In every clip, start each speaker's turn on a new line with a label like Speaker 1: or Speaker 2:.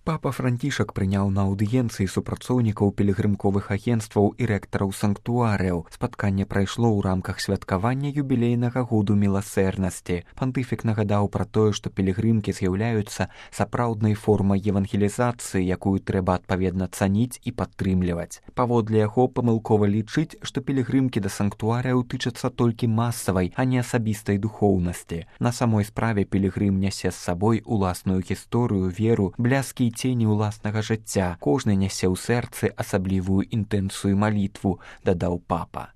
Speaker 1: Папа Францішак прыняў на аўдыенцыі супрацоўнікаў пілігрымковых агенцтваў і рэктараў санктуарыяў. Спатканне прайшло ў рамках святкавання юбілейнага году міласэрнасці. Пантыфік нагадаў пра тое, што пілігрымкі з'яўляюцца сапраўднай формай евангелізацыі, якую трэба адпаведна цаніць і падтрымліваць. Паводле яго памылкова лічыць, што пілігрымкі да санктуарыяў тычацца толькі масавай, а не асабістай духоўнасці. На самой справе пілігрым нясе з сабой уласную гісторыю, веру, бляскі цені ўласнага жыцця. Кожны нясе ў сэрцы асаблівую інтэнцыю малітву, дадаў папа.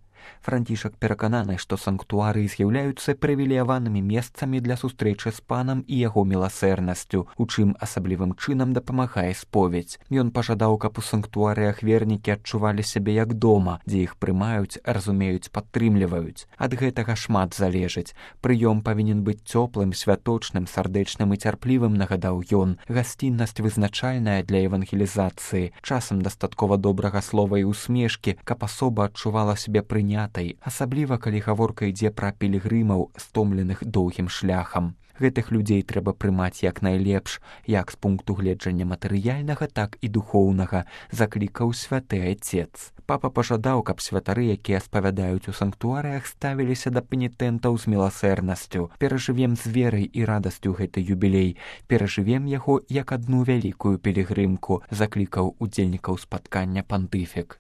Speaker 1: Францішак перакананы, што санктуарыі з'яўляюцца прывілеяванымі месцамі для сустрэчы з панам і яго міласэрнасцю, у чым асаблівым чынам дапамагае споведзь. Ён пажадаў, каб у санктуарыях вернікі адчувалі сябе як дома, дзе іх прымаюць, разумеюць, падтрымліваюць. Ад гэтага шмат залежыць. Прыём павінен быць цёплым, святочным, сардэчным і цярплівым, нагадаў ён. Гасціннасць вызначальная для евангелізацыі. Часам дастаткова добрага слова і усмешкі, каб асоба адчувала сябе прынятай, асабліва калі гаворка ідзе пра пілігрымаў, стомленых доўгім шляхам. Гэтых людзей трэба прымаць як найлепш, як з пункту гледжання матэрыяльнага, так і духоўнага, заклікаў святы айцец. Папа пажадаў, каб святары, якія спавядаюць у санктуарыях, ставіліся да пенітэнтаў з міласэрнасцю. Перажывем з верай і радасцю гэты юбілей, перажывем яго як адну вялікую пілігрымку, заклікаў удзельнікаў спаткання пантыфік.